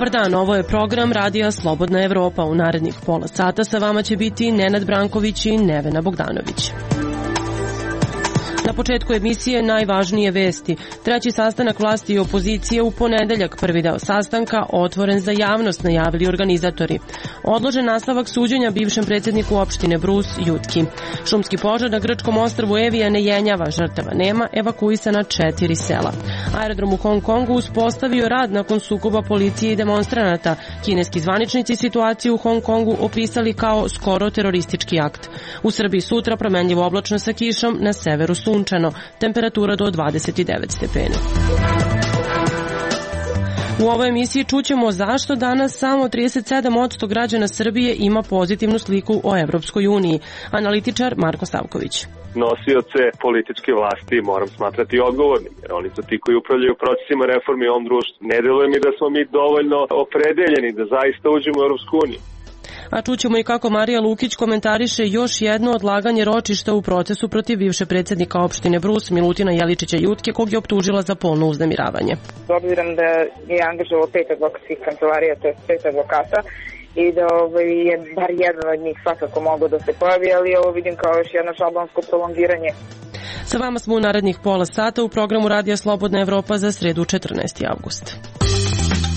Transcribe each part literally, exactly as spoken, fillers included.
Dobar dan, ovo je program Radija Slobodna Evropa. U narednih pola sata sa vama će biti Nenad Branković i Nevena Bogdanović. Na početku emisije najvažnije vesti. Treći sastanak vlasti i opozicije u ponedeljak. Prvi deo sastanka otvoren za javnost, najavili organizatori. Odložen nastavak suđenja bivšem predsjedniku opštine Brus Jutki. Šumski požar na grčkom ostrvu Evija ne jenjava, žrtava nema, evakuisana četiri sela. Aerodrom u Hong Kongu uspostavio rad nakon sukoba policije i demonstranata. Kineski zvaničnici situaciju u Hong Kongu opisali kao skoro teroristički akt. U Srbiji sutra promenljivo oblačno sa kišom, na severu sunčano, temperatura do dvadeset devet stepeni. U ovoj emisiji čućemo zašto danas samo trideset sedam posto građana Srbije ima pozitivnu sliku o Evropskoj uniji. Analitičar Marko Stavković. Nosioce političke vlasti moram smatrati odgovornim, jer oni su ti koji upravljaju procesima reformi u ovom društvu. Ne deluje mi da smo mi dovoljno opredeljeni da zaista uđemo u Evropsku uniju. A čućemo i kako Marija Lukić komentariše još jedno odlaganje ročišta u procesu protiv bivše predsjednika opštine Brus Milutina Jeličića Jutke, kog je optužila za polno uznemiravanje. S obzirom da je angažovao pet advokatskih kancelarija, to je pet advokata, i da ovaj, je bar jedan od njih svakako mogao da se pojavi, ali ovo vidim kao još jedno šablonsko prolongiranje. Sa vama smo u narednih pola sata u programu Radija Slobodna Evropa za sredu četrnaesti avgust.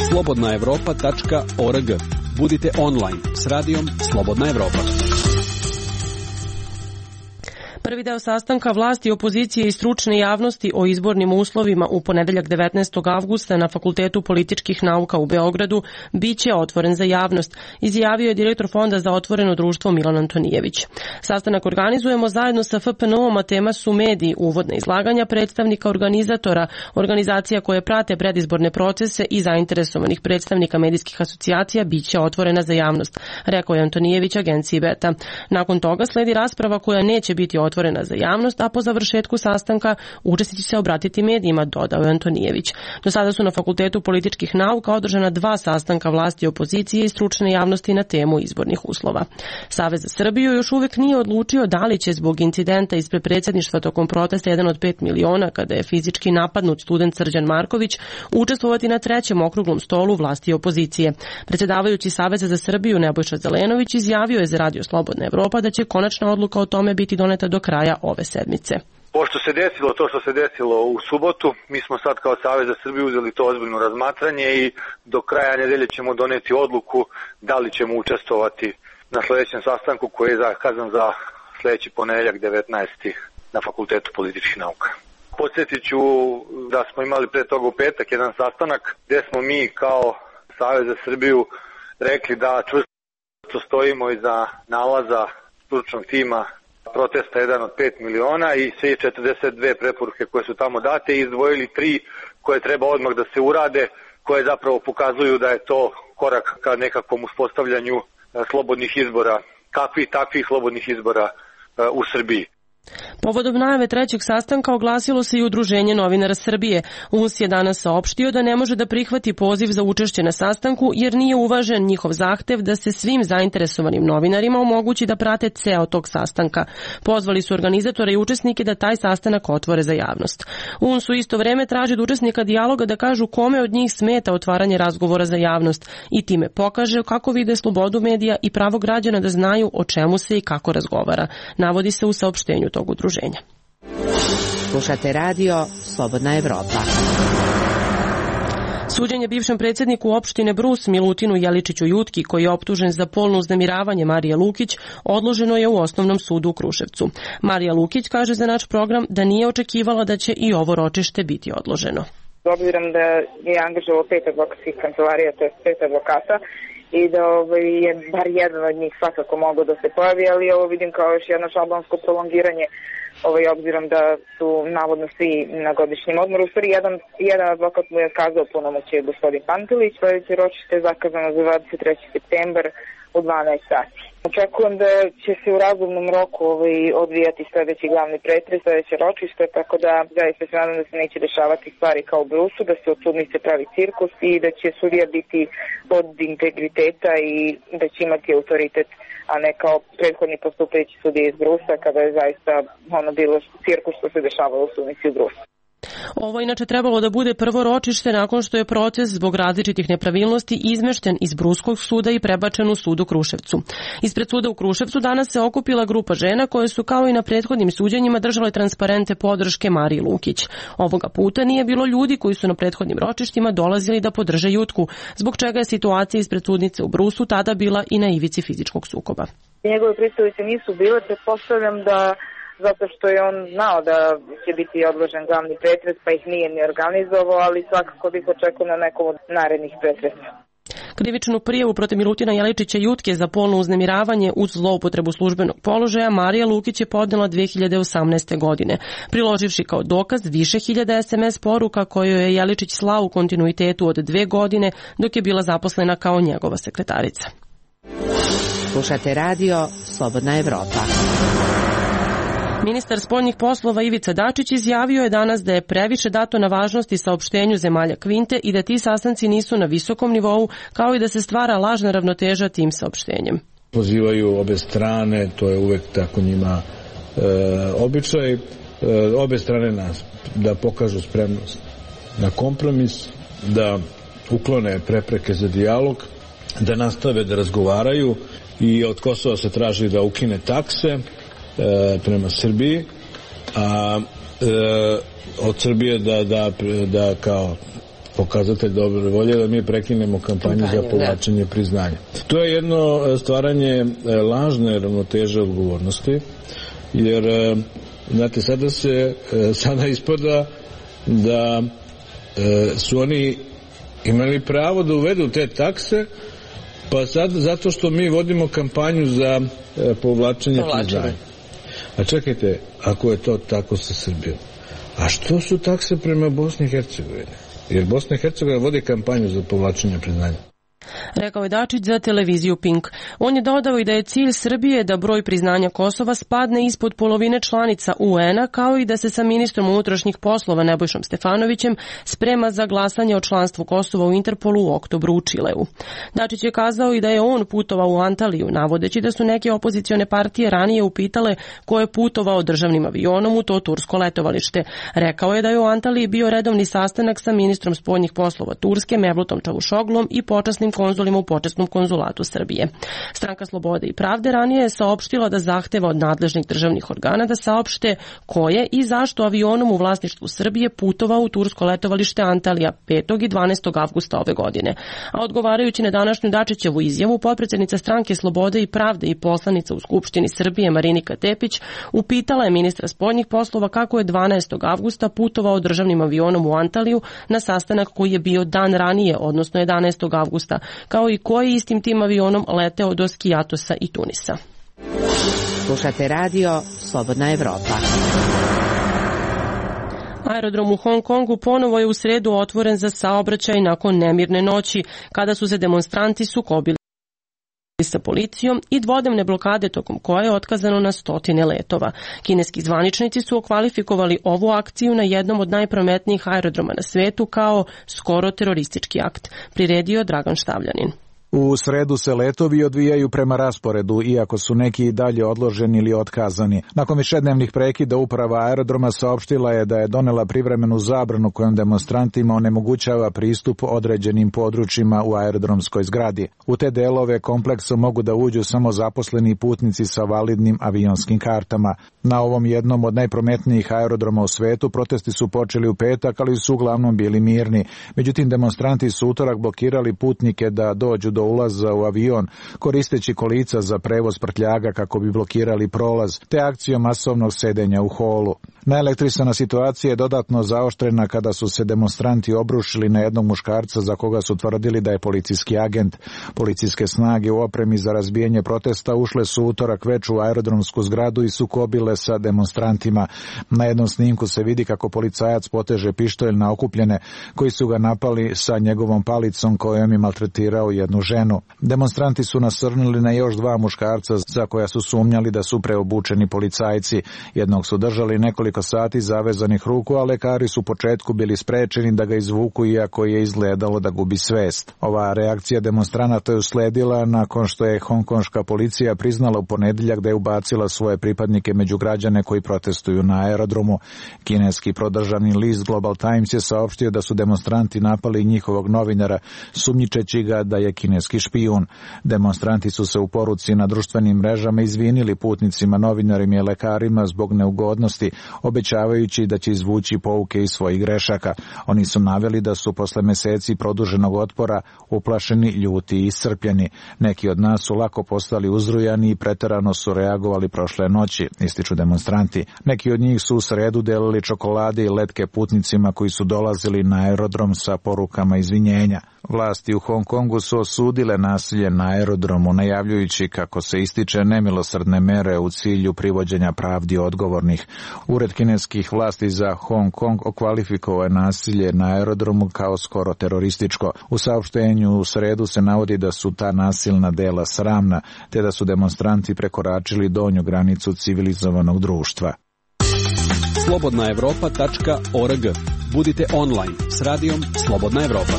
slobodna evropa tačka org. Budite online s radijom Slobodna Evropa. Prvi deo sastanka vlasti, opozicije i stručne javnosti o izbornim uslovima u ponedeljak devetnaestog avgusta na Fakultetu političkih nauka u Beogradu biće otvoren za javnost, izjavio je direktor Fonda za otvoreno društvo Milan Antonijević. Sastanak organizujemo zajedno sa F P N U-om, a tema su mediji, uvodna izlaganja predstavnika organizatora, organizacija koje prate predizborne procese i zainteresovanih predstavnika medijskih asocijacija biće otvorena za javnost, rekao je Antonijević agenciji Beta. Nakon toga sledi rasprava koja neće biti otvorena otvorena za javnost, a po završetku sastanka učesnici će se obratiti medijima, dodao je Antonijević. Do sada su na Fakultetu političkih nauka održana dva sastanka vlasti, opozicije i stručne javnosti na temu izbornih uslova. Savez za Srbiju još uvek nije odlučio da li će zbog incidenta ispred predsjedništva tokom protesta jedan od pet miliona, kada je fizički napadnut student Srđan Marković, učestvovati na trećem okruglom stolu vlasti i opozicije. Predsjedavajući Saveza za Srbiju Nebojša Zelenović izjavio je za Radio Slobodna Evropa da će konačna odluka o tome biti doneta do kraja ove sedmice. Pošto se desilo to što se desilo u subotu, mi smo sad kao Savez za Srbiju uzeli to ozbiljno razmatranje i do kraja nedelje ćemo doneti odluku da li ćemo učestvovati na sljedećem sastanku koji je zakazan za sljedeći ponedeljak devetnaesti na Fakultetu političkih nauka. Podsjetit ću da smo imali pre toga u petak jedan sastanak gdje smo mi kao Savez za Srbiju rekli da čvrsto stojimo iza nalaza stručnog tima protesta jedan od pet miliona i sve četrdeset dve preporuke koje su tamo date i izdvojili tri koje treba odmah da se urade, koje zapravo pokazuju da je to korak ka nekakvom uspostavljanju slobodnih izbora, kakvih takvih slobodnih izbora u Srbiji. Povodom najave trećeg sastanka oglasilo se i Udruženje novinara Srbije. U N S je danas saopštio da ne može da prihvati poziv za učešće na sastanku jer nije uvažen njihov zahtev da se svim zainteresovanim novinarima omogući da prate ceo tog sastanka. Pozvali su organizatore i učesnike da taj sastanak otvore za javnost. U N S u isto vreme traži od učesnika dijaloga da kažu kome od njih smeta otvaranje razgovora za javnost i time pokaže kako vide slobodu medija i pravo građana da znaju o čemu se i kako razgovara, navodi se u saopštenju tog udruženja. Slušate radio Slobodna Evropa. Suđenje bivšem predsjedniku opštine Brus Milutinu Jeličiću Jutki, koji je optužen za polno uznemiravanje Marije Lukić, odloženo je u Osnovnom sudu u Kruševcu. Marija Lukić kaže za naš program da nije očekivala da će i ovo ročište biti odloženo. S obzirom da je angažovao pet advokatskih kancelarija, to je pet advokata, i da ovaj, je bar jedan od njih svakako mogao da se pojavi, ali ovo vidim kao još jedno šablonsko prolongiranje, ovaj, obzirom da su navodno svi na godišnjem odmoru. U stvari, jedan, jedan advokat mu je kazao punomoćje gospodin Pantelić, sledeće ročište je zakazano za dvadeset treći septembar u dvanaest sati. Očekujem da će se u razumnom roku ovaj, odvijati sledeći glavni pretres, sledeće ročište, tako da zaista se nadam da se neće dešavati stvari kao u Brusu, da se od sudnice pravi cirkus i da će sudija biti od integriteta i da će imati autoritet, a ne kao prethodni postupajući sudije iz Brusa, kada je zaista ono bilo cirkus što se dešavalo u sudnici u Brusu. Ovo inače trebalo da bude prvo ročište nakon što je proces zbog različitih nepravilnosti izmešten iz Bruskog suda i prebačen u sud u Kruševcu. Ispred suda u Kruševcu danas se okupila grupa žena koje su kao i na prethodnim suđenjima držale transparente podrške Mariji Lukić. Ovoga puta nije bilo ljudi koji su na prethodnim ročištima dolazili da podrže Jutku, zbog čega je situacija ispred sudnice u Brusu tada bila i na ivici fizičkog sukoba. Njegove predstavnice nisu bile, pretpostavljam da zato što je on znao da će biti odložen glavni pretres, pa ih nije ni organizovao, ali svakako bih očekao na nekom od narednih pretresa. Krivičnu prijavu protiv Milutina Jeličića Jutke za polno uznemiravanje uz zloupotrebu službenog položaja Marija Lukić je podnela dve hiljade osamnaeste. godine, priloživši kao dokaz više hiljada es em es poruka koje je Jeličić slao u kontinuitetu od dve godine dok je bila zaposlena kao njegova sekretarica. Slušate radio Slobodna Evropa. Ministar spoljnih poslova Ivica Dačić izjavio je danas da je previše dato na važnosti saopštenju zemalja Kvinte i da ti sastanci nisu na visokom nivou, kao i da se stvara lažna ravnoteža tim saopštenjem. Pozivaju obe strane, to je uvek tako njima e, običaj, e, obe strane nas da pokažu spremnost na kompromis, da uklone prepreke za dijalog, da nastave da razgovaraju i od Kosova se traži da ukine takse prema Srbiji, a e, od Srbije da, da, da kao pokazatelj dobre volje da mi prekinemo kampanju za povlačenje priznanja. To je jedno stvaranje lažne ravnoteže odgovornosti, jer znate, sada se sada ispada da su oni imali pravo da uvedu te takse, pa sad zato što mi vodimo kampanju za povlačenje priznanja. A čekajte, ako je to tako sa Srbijom, a što su takse prema Bosni i Hercegovini? Jer Bosna i Hercegovina vodi kampanju za povlačenje priznanja. Rekao je Dačić za televiziju Pink. On je dodao i da je cilj Srbije da broj priznanja Kosova spadne ispod polovine članica u en-a, kao i da se sa ministrom unutrašnjih poslova Nebojšom Stefanovićem sprema za glasanje o članstvu Kosova u Interpolu u oktobru u Čileu. Dačić je kazao i da je on putovao u Antaliju, navodeći da su neke opozicione partije ranije upitale ko je putovao državnim avionom u to tursko letovalište. Rekao je da je u Antaliji bio redovni sastanak sa ministrom spoljnih poslova Turske Mevlutom Čavušoglom i počasnim konzulima u počasnom konzulatu Srbije. Stranka Slobode i pravde ranije je saopštila da zahteva od nadležnih državnih organa da saopšte ko je i zašto avionom u vlasništvu Srbije putovao u tursko letovalište Antalija petog i dvanaestog avgusta ove godine. A odgovarajući na današnju Dačićevu izjavu, potpredsednica Stranke Slobode i pravde i poslanica u Skupštini Srbije Marinika Tepić upitala je ministra spoljnih poslova kako je dvanaestog avgusta putovao državnim avionom u Antaliju na sastanak koji je bio dan ranije, odnosno jedanaestog avgusta, kao i koji istim tim avionom leteo do Skijatosa i Tunisa. Slušate radio Slobodna Evropa. Aerodrom u Hong Kongu ponovo je u sredu otvoren za saobraćaj nakon nemirne noći, kada su se demonstranti sukobili sa policijom i dvodnevne blokade tokom koje je otkazano na stotine letova. Kineski zvaničnici su okvalifikovali ovu akciju na jednom od najprometnijih aerodroma na svetu kao skoro teroristički akt, priredio Dragan Štavljanin. U sredu se letovi odvijaju prema rasporedu, iako su neki i dalje odloženi ili otkazani. Nakon višednevnih prekida uprava aerodroma saopštila je da je donela privremenu zabranu kojom demonstrantima onemogućava pristup određenim područjima u aerodromskoj zgradi. U te delove kompleksa mogu da uđu samo zaposleni putnici sa validnim avionskim kartama. Na ovom jednom od najprometnijih aerodroma u svetu protesti su počeli u petak, ali su uglavnom bili mirni. Međutim, demonstranti su utorak blokirali putnike da dođu do ulaza u avion, koristeći kolica za prevoz prtljaga kako bi blokirali prolaz, te akcijom masovnog sedenja u holu. Naelektrisana situacija je dodatno zaoštrena kada su se demonstranti obrušili na jednog muškarca za koga su tvrdili da je policijski agent. Policijske snage u opremi za razbijanje protesta ušle su utorak već u aerodromsku zgradu i sukobile sa demonstrantima. Na jednom snimku se vidi kako policajac poteže pištolj na okupljene koji su ga napali sa njegovom palicom kojom je maltretirao jednu ženu. Demonstranti su nasrnuli na još dva muškarca za koja su sumnjali da su preobučeni policajci. Jednog su držali nekoliko nekoliko sati zavezanih ruku, a lekari su u početku bili sprečeni da ga izvuku iako je izgledalo da gubi svest. Ova reakcija demonstranata je usledila nakon što je hongkonška policija priznala u ponedeljak da je ubacila svoje pripadnike među građane koji protestuju na aerodromu. Kineski prodržavni list Global Times je saopštio da su demonstranti napali njihovog novinara sumnjičeći ga da je kineski špijun. Demonstranti su se u poruci na društvenim mrežama izvinili putnicima, novinarima i lekarima zbog neugodnosti, obećavajući da će izvući pouke iz svojih grešaka. Oni su naveli da su posle meseci produženog otpora uplašeni, ljuti i iscrpljeni. Neki od nas su lako postali uzrujani i preterano su reagovali prošle noći, ističu demonstranti. Neki od njih su u sredu delili čokolade i letke putnicima koji su dolazili na aerodrom sa porukama izvinjenja. Vlasti u Hong Kongu su osudile nasilje na aerodromu, najavljujući kako se ističe nemilosrdne mere u cilju privođenja pravdi odgovornih. Ured kineskih vlasti za Hong Kong okvalifikovao je nasilje na aerodromu kao skoro terorističko. U saopštenju u sredu se navodi da su ta nasilna dela sramna, te da su demonstranti prekoračili donju granicu civilizovanog društva. slobodna evropa tačka org. Budite online s radijom Slobodna Evropa.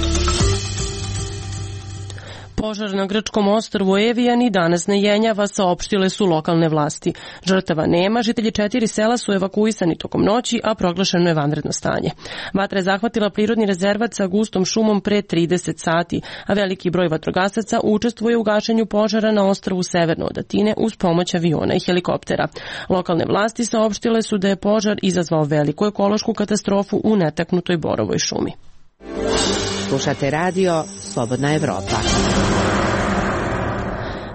Požar na grčkom ostrvu Evijan i danas ne jenjava, saopštile su lokalne vlasti. Žrtava nema, žitelji četiri sela su evakuisani tokom noći, a proglašeno je vanredno stanje. Vatra je zahvatila prirodni rezervat sa gustom šumom pre trideset sati, a veliki broj vatrogasaca učestvuje u gašenju požara na ostrvu severno od Atine uz pomoć aviona i helikoptera. Lokalne vlasti saopštile su da je požar izazvao veliku ekološku katastrofu u netaknutoj borovoj šumi. Slušate radio Slobodna Evropa.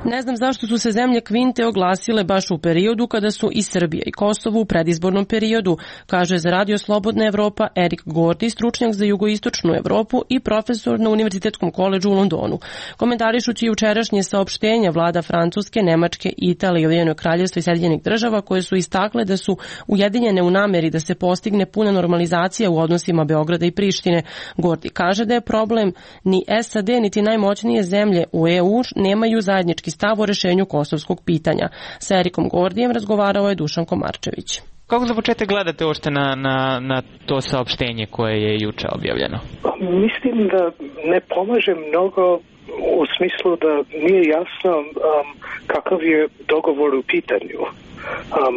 Ne znam zašto su se zemlje Kvinte oglasile baš u periodu kada su i Srbija i Kosovo u predizbornom periodu, kaže za radio Slobodna Evropa Erik Gordi, stručnjak za jugoistočnu Evropu i profesor na Univerzitetskom koledžu u Londonu. Komentarišući jučerašnje saopštenja vlada Francuske, Nemačke, Italije, Ujedinjenog Kraljevstva i Sjedinjenih Država koje su istakle da su ujedinjene u nameri da se postigne puna normalizacija u odnosima Beograda i Prištine, Gordi kaže da je problem ni S A D niti najmoćnije zemlje u E U nemaju zajednički stav o rešenju kosovskog pitanja. Sa Erikom Gordijem razgovarao je Dušan Komarčević. Kako za početak gledate uopšte na, na, na to saopštenje koje je juče objavljeno? Mislim da ne pomaže mnogo u smislu da nije jasno um, kakav je dogovor u pitanju. Um,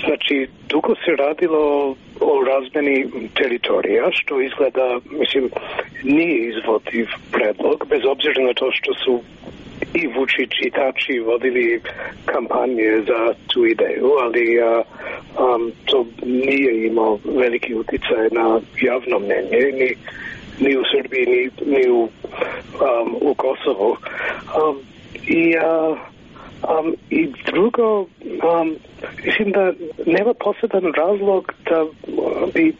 znači, dugo se radilo o razmeni teritorija, što izgleda, mislim, nije izvodiv predlog, bez obzira na to što su i Vučić i Tači vodili kampanje za tu ideju, ali a, um, to nije imao veliki uticaj na javno mnenje, ni, ni u Srbiji, ni, ni u, um, u Kosovu. Um, i, a, um, I drugo, um, mislim da nema poseban razlog da bi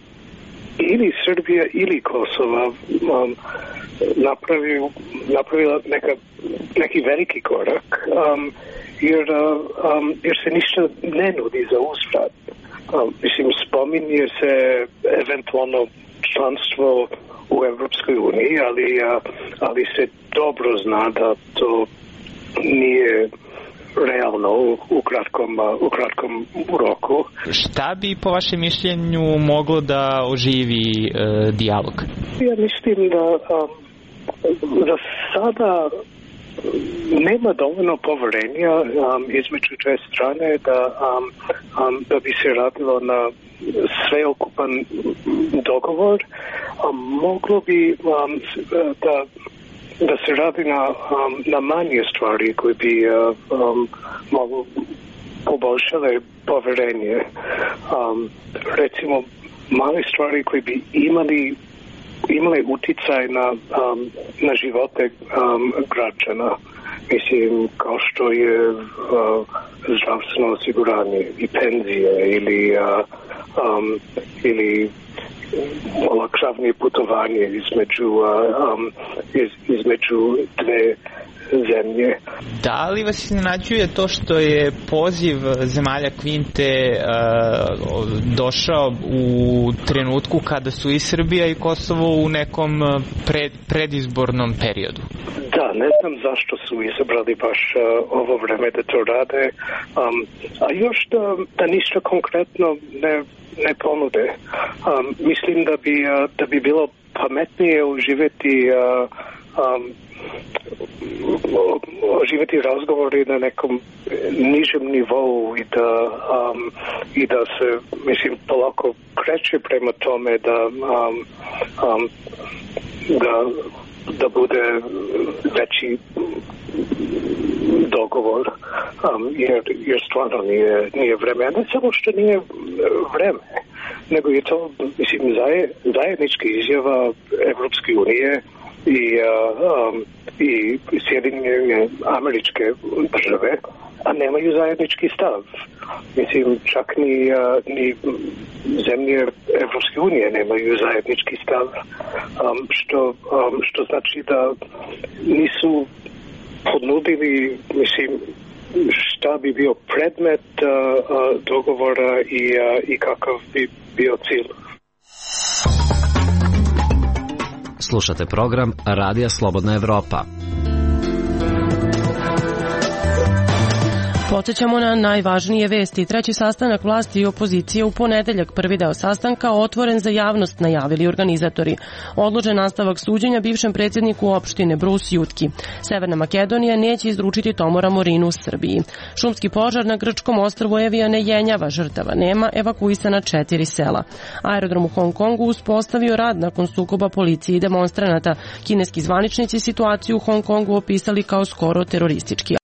ili Srbija ili Kosova um, napravio, napravila neka, neki veliki korak, um, jer, um, jer se ništa ne nudi za uzvrat. Um, mislim, spominje se eventualno članstvo u Evropskoj uniji, ali, ali se dobro zna da to nije realno u, u, kratkom, u kratkom roku. Šta bi po vašem mišljenju moglo da oživi e, dijalog? Ja mislim da, um, da sada nema dovoljno poverenja um, između dve strane da, um, um, da bi se radilo na sveokupan dogovor. Um, moglo bi um, da da se radi na, um, na manje stvari koje bi uh, um, mogu poboljšale poverenje. Um, recimo, male stvari koje bi imali imale uticaj na, um, na živote um, građana. Mislim, kao što je uh, zdravstveno osiguranje i penzije ili, uh, um, ili olakšavanje putovanje između, um, iz, između dve zemlje. Da li vas iznenađuje to što je poziv zemalja Kvinte uh, došao u trenutku kada su i Srbija i Kosovo u nekom pred, predizbornom periodu? Da, ne znam zašto su izabrali baš uh, ovo vreme da to rade, um, a još da, da ništa konkretno ne, ne ponude. Um, mislim da bi, uh, da bi bilo pametnije uživati uh, um, oživjeti razgovori na nekom nižem nivou i da, um, i da se, mislim, polako kreće prema tome da, um, um, da, da bude veći dogovor, um, jer, jer stvarno nije, nije vreme. A ne samo što nije vreme, nego je to, mislim, zajednička izjava Evropske unije i, uh, um, i Sjedinjene Američke države, a nemaju zajednički stav. Mislim, čak ni, uh, ni zemlje Evropske unije nemaju zajednički stav, um, što, um, što znači da nisu ponudili, mislim, šta bi bio predmet uh, uh, dogovora i, uh, i kakav bi bio cilj. Slušate program Radija Slobodna Evropa. Podsećamo na najvažnije vesti. Treći sastanak vlasti i opozicije u ponedeljak, prvi deo sastanka otvoren za javnost, najavili organizatori. Odložen nastavak suđenja bivšem predsjedniku opštine Bruce Jutki. Severna Makedonija neće izručiti Tomora Morinu u Srbiji. Šumski požar na grčkom ostrvu Evija ne jenjava, žrtava nema, evakuisana četiri sela. Aerodrom u Hong Kongu uspostavio rad nakon sukoba policije i demonstranata. Kineski zvaničnici situaciju u Hong Kongu opisali kao skoro teroristički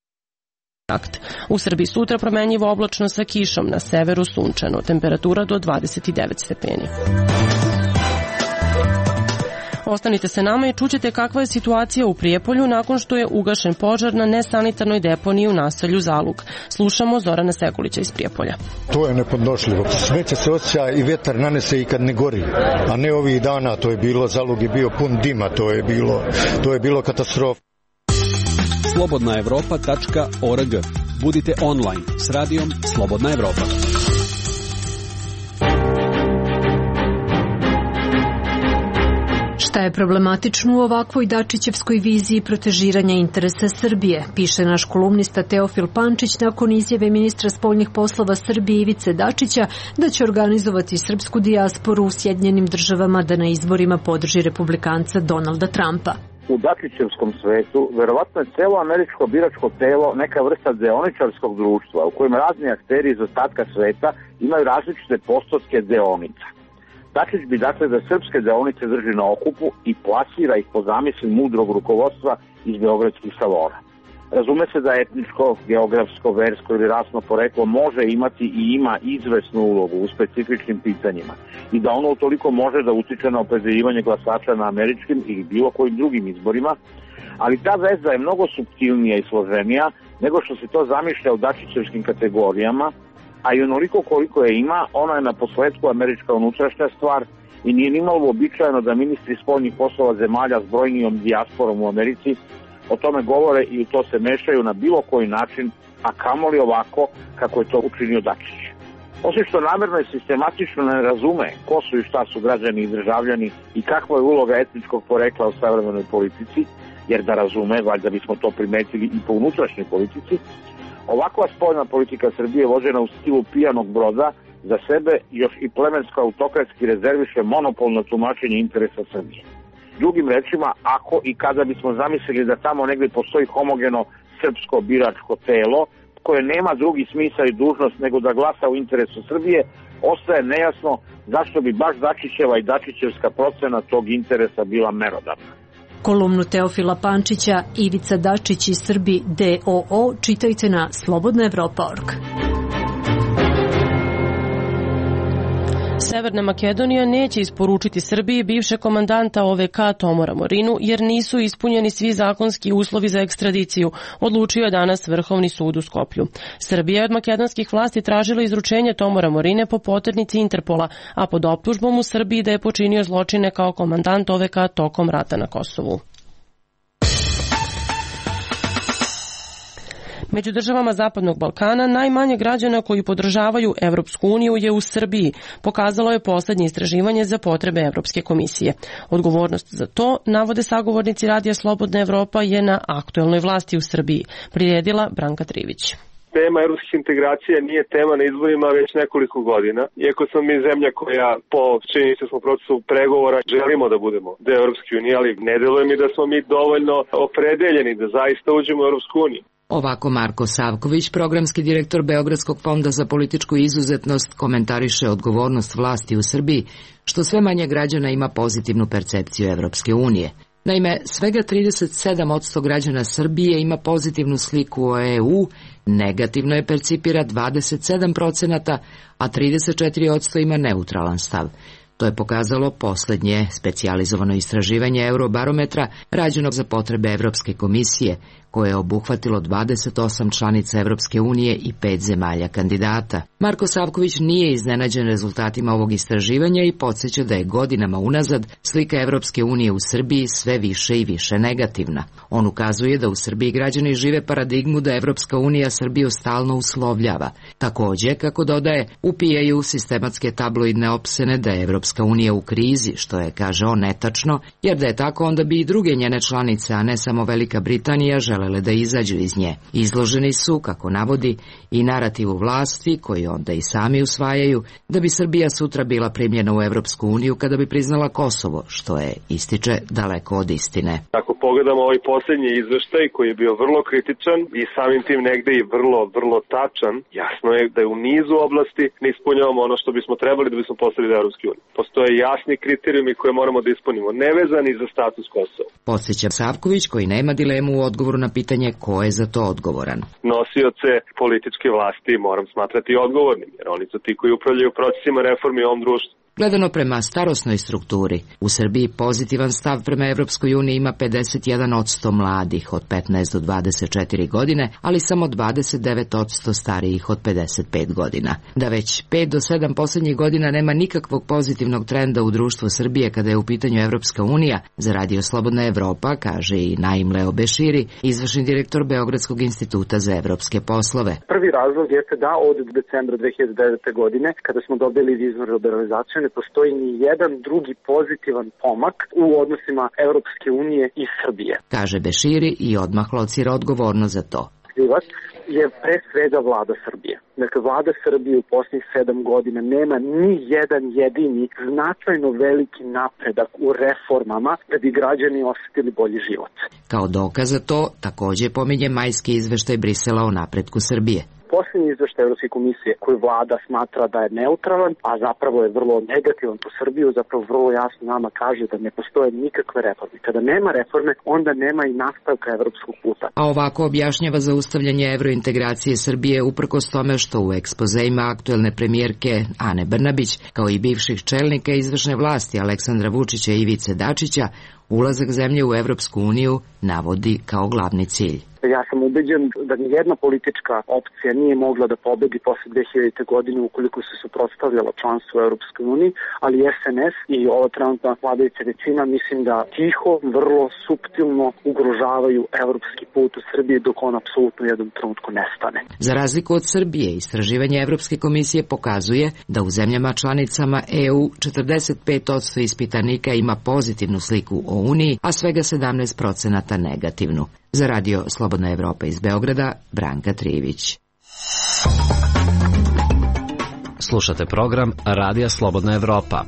akt. U Srbiji sutra promenljivo oblačno sa kišom, na severu sunčano, temperatura do dvadeset devet stepeni. Ostanite se nama i čućete kakva je situacija u Prijepolju nakon što je ugašen požar na nesanitarnoj deponiji u naselju Zalug. Slušamo Zorana Sekulića iz Prijepolja. To je nepodnošljivo. Smeće se osjeća i vjetar nanese i kad ne gori, a ne ovih dana. To je bilo, Zalug je bio pun dima, to je bilo, to je bilo katastrofa. slobodna evropa tačka org. Budite online s radijom Slobodna Evropa. Šta je problematično u ovakvoj Dačićevskoj viziji protežiranja interesa Srbije, piše naš kolumnista Teofil Pančić nakon izjave ministra spoljnih poslova Srbije Ivice Dačića da će organizovati srpsku dijasporu u Sjedinjenim državama da na izborima podrži republikanca Donalda Trumpa. U Dačićevskom svetu verovatno je celo američko biračko telo neka vrsta deoničarskog društva u kojem razni akteri iz ostatka sveta imaju različite postotke deonica. Dačić bi dakle da srpske deonice drži na okupu i plasira ih po zamisli mudrog rukovodstva iz beogradskih salona. Razume se da etničko, geografsko, versko ili rasno poreklo može imati i ima izvesnu ulogu u specifičnim pitanjima i da ono utoliko može da utiče na opredeljivanje glasača na američkim ili bilo kojim drugim izborima, ali ta veza je mnogo suptilnija i složenija nego što se to zamišlja u dačićevskim kategorijama, a i onoliko koliko je ima, ona je na posledku američka unutrašnja stvar i nije nimalo uobičajeno da ministri spoljnih poslova zemalja s brojnijom dijasporom u Americi o tome govore i u to se mešaju na bilo koji način, a kamoli ovako kako je to učinio Dačić. Osim što namerno i sistematično ne razume ko su i šta su građani i državljani i kakva je uloga etničkog porekla u savremenoj politici, jer da razume, valjda bismo to primetili i po unutrašnjoj politici, ovakva spoljna politika Srbije vođena u stilu pijanog broda za sebe još i plemensko autokratski rezerviše monopolno tumačenje interesa Srbije. Drugim rečima, ako i kada bismo zamislili da tamo negdje postoji homogeno srpsko biračko telo koje nema drugi smisao i dužnost nego da glasa u interesu Srbije, ostaje nejasno zašto bi baš Dačićeva i Dačićevska procena tog interesa bila merodavna. Kolumnu Teofila Pančića Ivica Dačić iz Srbi D O O čitajte na slobodna evropa tačka org. Severna Makedonija neće isporučiti Srbiji bivšeg komandanta O V K Tomora Morinu jer nisu ispunjeni svi zakonski uslovi za ekstradiciju, odlučio je danas Vrhovni sud u Skoplju. Srbija je od makedonskih vlasti tražila izručenje Tomora Morine po poternici Interpola, a pod optužbom u Srbiji da je počinio zločine kao komandant O V K tokom rata na Kosovu. Među državama Zapadnog Balkana najmanje građana koji podržavaju Evropsku uniju je u Srbiji, pokazalo je poslednje istraživanje za potrebe Evropske komisije. Odgovornost za to, navode sagovornici Radija Slobodna Evropa, je na aktuelnoj vlasti u Srbiji, priredila Branka Trivić. Tema evropskih integracija nije tema na izborima već nekoliko godina. Iako smo mi zemlja koja po činjenicom procesu pregovora želimo da budemo deo Evropske unije, ali ne deluje mi da smo mi dovoljno opredeljeni da zaista uđemo u Evropsku uniju. Ovako Marko Savković, programski direktor Beogradskog fonda za političku izuzetnost, komentariše odgovornost vlasti u Srbiji, što sve manje građana ima pozitivnu percepciju Evropske unije. Naime, svega trideset sedam posto građana Srbije ima pozitivnu sliku o E U, negativno je percipira dvadeset sedam procenata, a trideset četiri posto ima neutralan stav. To je pokazalo poslednje specijalizovano istraživanje Eurobarometra rađenog za potrebe Evropske komisije, koje je obuhvatilo dvadeset osam članica Evropske unije i pet zemalja kandidata. Marko Savković nije iznenađen rezultatima ovog istraživanja i podsjeća da je godinama unazad slika Evropske unije u Srbiji sve više i više negativna. On ukazuje da u Srbiji građani žive paradigmu da Evropska unija Srbiju stalno uslovljava. Takođe, kako dodaje, upijaju sistematske tabloidne opsene da je Evropska unija u krizi, što je, kaže on, netačno, jer da je tako onda bi i druge njene članice, a ne samo Velika Britanija, želele da izađu iz nje. Izloženi su, kako navodi, i narativu vlasti, koji onda i sami usvajaju, da bi Srbija sutra bila primljena u Evropsku uniju kada bi priznala Kosovo, što je, ističe, daleko od istine. Ako pogledamo ovaj posljednji izveštaj koji je bio vrlo kritičan i samim tim negde i vrlo, vrlo tačan, jasno je da je u nizu oblasti ne ispunjavamo ono što bismo trebali da bismo postali deo Evropske unije. Postoje jasni kriterijumi koje moramo da ispunimo, nevezani za status Kosova. Podsjeća Savković, koji nema dilemu u odgovoru na pitanje ko je za to odgovoran. Nosioce političke vlasti moram smatrati odgovornim, jer oni su ti koji upravljaju procesima reformi u ovom društvu. Gledano prema starosnoj strukturi, u Srbiji pozitivan stav prema Evropskoj uniji ima pedeset jedan posto mladih od petnaest do dvadeset četiri godine, ali samo dvadeset devet posto starijih od pedeset pet godina. Da već pet do sedam poslednjih godina nema nikakvog pozitivnog trenda u društvu Srbije kada je u pitanju Evropska unija, za Radio Slobodna Evropa, kaže i Naim Leo Beširi, izvršni direktor Beogradskog instituta za evropske poslove. Prvi razlog jeste da od decembra dve hiljade devete. godine, kada smo dobili viznu liberalizaciju, ne postoji ni jedan drugi pozitivan pomak u odnosima Evropske unije i Srbije. Kaže Beširi i odmah locira odgovorno za to. Krivac je pre svega vlada Srbije. Dakle, vlada Srbije u posljednjih sedam godina nema ni jedan jedini značajno veliki napredak u reformama da bi građani osetili bolji život. Kao dokaz za to takođe pominje majski izveštaj Brisela o napretku Srbije. Posljednji izveštaj Evropske komisije koji vlada smatra da je neutralan, a zapravo je vrlo negativan po Srbiju, zapravo vrlo jasno nama kaže da ne postoje nikakve reforme. Kada nema reforme, onda nema i nastavka evropskog puta. A ovako objašnjava zaustavljanje evrointegracije Srbije uprkos tome što u ekspozeima aktuelne premijerke Ane Brnabić, kao i bivših čelnika izvršne vlasti Aleksandra Vučića i Ivice Dačića, ulazak zemlje u Evropsku uniju navodi kao glavni cilj. Ja sam ubeđen da nijedna politička opcija nije mogla da pobedi posle dve hiljadite. godine ukoliko se suprotstavljala članstvu u Evropskoj uniji, ali S N S i ova trenutna vladajuća većina mislim da tiho, vrlo suptilno ugrožavaju evropski put u Srbiji dok on apsolutno u jednom trenutku nestane. Za razliku od Srbije, istraživanje Evropske komisije pokazuje da u zemljama članicama E U četrdeset pet posto ispitanika ima pozitivnu sliku o Uniji, a svega sedamnaest procenata negativnu. Za Radio Slobodna Evropa iz Beograda, Branka Trivić. Slušate program Radija Slobodna Evropa.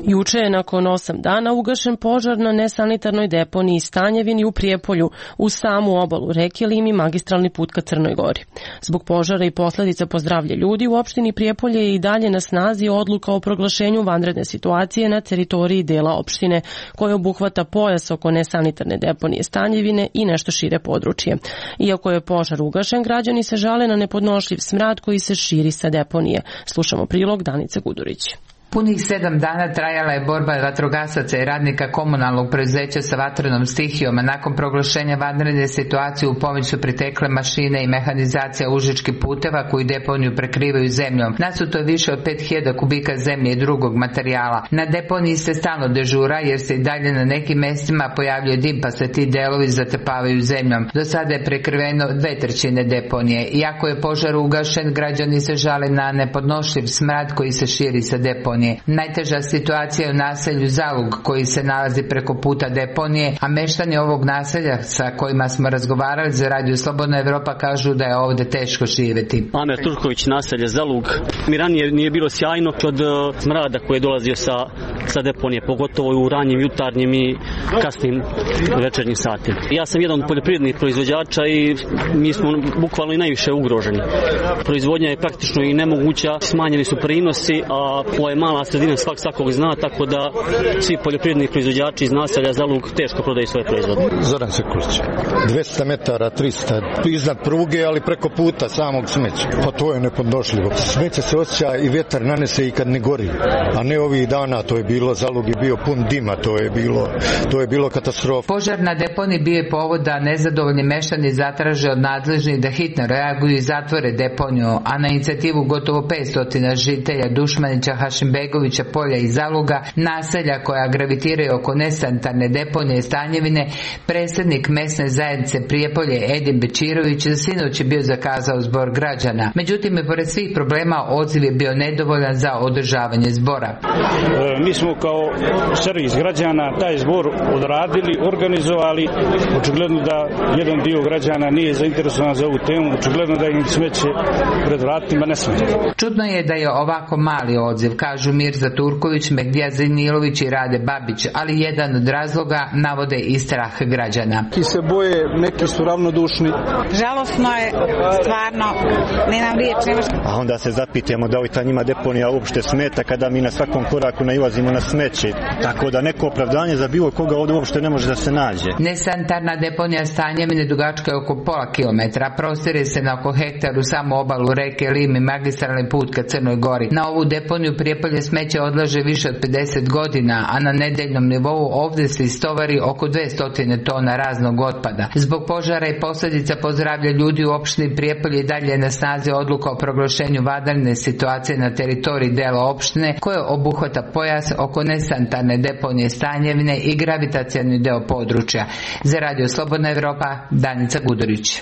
Juče je nakon osam dana ugašen požar na nesanitarnoj deponiji Stanjevini u Prijepolju uz samu obalu reke Lim i magistralni put ka Crnoj Gori. Zbog požara i posledica po zdravlje ljudi u opštini Prijepolje je i dalje na snazi odluka o proglašenju vanredne situacije na teritoriji dela opštine koja obuhvata pojas oko nesanitarne deponije Stanjevine i nešto šire područje. Iako je požar ugašen, građani se žale na nepodnošljiv smrad koji se širi sa deponije. Slušamo prilog Danice Gudurić. Punih sedam dana trajala je borba vatrogasaca i radnika komunalnog preduzeća sa vatrenom stihijom, a nakon proglašenja vanredne situacije u pomoć su pritekle mašine i mehanizacija užičkih puteva koji deponiju prekrivaju zemljom. Nasuto je više od pet hiljada kubika zemlje i drugog materijala. Na deponiji se stalno dežura jer se i dalje na nekim mestima pojavljuje dim pa se ti delovi zatrpavaju zemljom. Do sada je prekriveno dve trećine deponije. Iako je požar ugašen, građani se žale na nepodnošljiv smrad koji se širi sa deponije. Najteža situacija je u naselju Zalug koji se nalazi preko puta deponije, a meštani ovog naselja sa kojima smo razgovarali za Radio Slobodna Evropa kažu da je ovde teško živeti. Amer Turković, naselje Zalug. Mi ranije nije bilo sjajno od smrada koji je dolazio sa, sa deponije, pogotovo u ranjim jutarnjim i kasnim večernjim satima. Ja sam jedan od poljoprivrednih proizvođača i mi smo bukvalno i najviše ugroženi. Proizvodnja je praktično i nemoguća, smanjeni su prinosi, a ovo je mala sredina, svak svakog zna, tako da svi poljoprivredni proizvođači iz naselja Zalug teško prodaju svoje proizvode. Zoran Sekulić, dvesta metara, trista, iznad pruge, ali preko puta samog smeća. Pa to je nepodnošljivo. Smeće se osjeća i vjetar nanese i kad ne gori, a ne ovih dana, to je bilo, Zalug je bio pun dima, to je bilo, to je bilo katastrofa. Požar na deponiji bio je povod da nezadovoljni meštani zatraže od nadležnih da hitno reaguju i zatvore deponiju, a na inicijativu gotovo petsto žitelja Dušmanića, Hašimbegovića, Polja i Zaluga, naselja koja gravitiraju oko nesanitarne deponije i Stanjevine, predsjednik mesne zajednice Prijepolje Edin Bečirović za sinoć je bio zakazao zbor građana. Međutim, i pored svih problema odziv je bio nedovoljan za održavanje zbora. E, mi smo kao servis građana taj zbor odradili, organizovali. Očigledno da jedan dio građana nije zainteresovan za ovu temu, očigledno da im smeće pred vratima ne smeta. Čudno je da je ovako mali odziv, kažu Mirza Turković, Megdija Zenilović i Rade Babić, ali jedan od razloga navode i strah građana. Neki se boje, neki su ravnodušni. Žalosno je, stvarno, nemam riječ, nemaš... A onda se zapitamo da li ta njima deponija uopšte smeta kada mi na svakom koraku nailazimo na smeće, tako da neko opravdanje za bilo koga ovdje uopšte ne može da se nađe. Nesanitarna deponija Stanjevine dugačka je oko pola kilometra, prostire se na oko hektaru samo obalu reke Lim i magistralni put ka Crnoj Gori. Na ovu deponiju Prijepolje smeće odlaže više od pedeset godina, a na nedeljnom nivou ovdje se istovari oko dvesta tona raznog otpada. Zbog požara i posljedica po zdravlje ljudi u opštini Prijepolje i dalje na snazi odluka o proglašenju vanredne situacije na teritoriji dela opštine koje obuhvata pojas oko nesanitarne deponije Stanjevine i gravitacioni deo područja. Za Radio Slobodna Evropa, Danica Gudurić.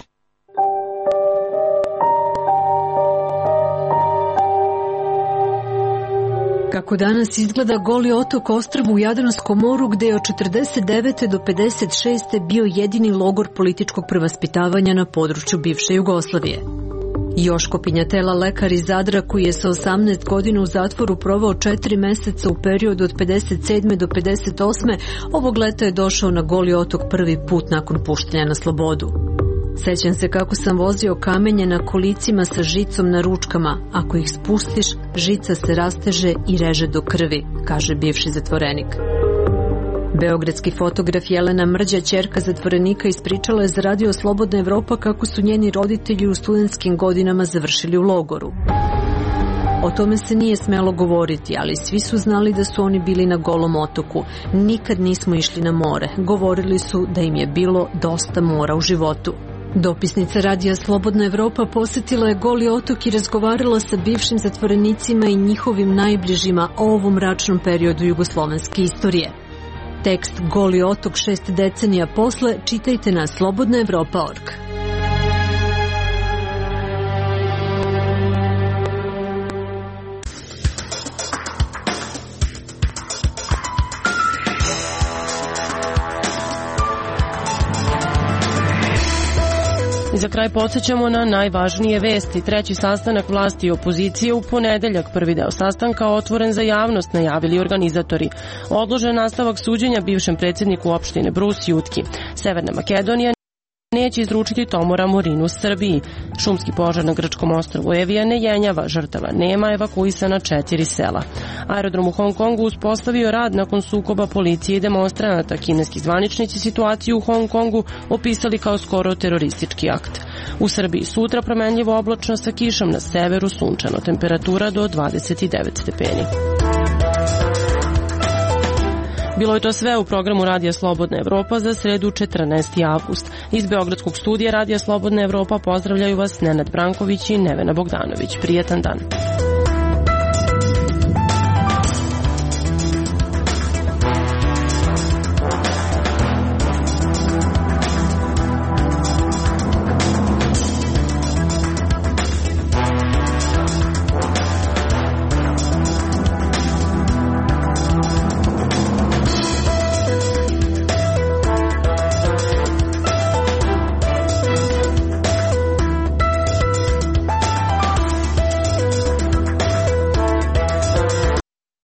Kako danas izgleda Goli otok ostrvo u Jadranskom moru gde je od četrdeset devete do pedeset šeste bio jedini logor političkog prevaspitavanja na području bivše Jugoslavije. Joško Pinjatela, lekar iz Zadra koji je sa osamnaest godina u zatvoru provao četiri meseca u periodu od pedeset sedme do pedeset osme ovog leta je došao na Goli otok prvi put nakon puštanja na slobodu. Sećam se kako sam vozio kamenje na kolicima sa žicom na ručkama. Ako ih spustiš, žica se rasteže i reže do krvi, kaže bivši zatvorenik. Beogradski fotograf Jelena Mrđa, ćerka zatvorenika, ispričala je za Radio Slobodna Evropa kako su njeni roditelji u studentskim godinama završili u logoru. O tome se nije smelo govoriti, ali svi su znali da su oni bili na Golom otoku. Nikad nismo išli na more. Govorili su da im je bilo dosta mora u životu. Dopisnica Radija Slobodna Evropa posjetila je Goli otok i razgovarala sa bivšim zatvorenicima i njihovim najbližima o ovom mračnom periodu jugoslovenske istorije. Tekst Goli otok šest decenija posle čitajte na slobodna evropa tačka org. Za kraj podsjećamo na najvažnije vesti. Treći sastanak vlasti i opozicije u ponedeljak. Prvi deo sastanka otvoren za javnost, najavili organizatori. Odložen nastavak suđenja bivšem predsjedniku opštine Brus Jutki. Severna Makedonija neće izručiti Tomora Morinu Srbiji. Šumski požar na grčkom ostrvu Evija ne jenjava, žrtava nema, evakuisana četiri sela. Aerodrom u Hong Kongu uspostavio rad nakon sukoba policije i demonstranata. Kineski zvaničnici situaciju u Hong Kongu opisali kao skoro teroristički akt. U Srbiji sutra promenljivo oblačno sa kišom, na severu sunčano, temperatura do dvadeset devet stepeni. Bilo je to sve u programu Radija Slobodna Evropa za sredu četrnaesti avgust. Iz Beogradskog studija Radija Slobodna Evropa pozdravljaju vas Nenad Branković i Nevena Bogdanović. Prijetan dan.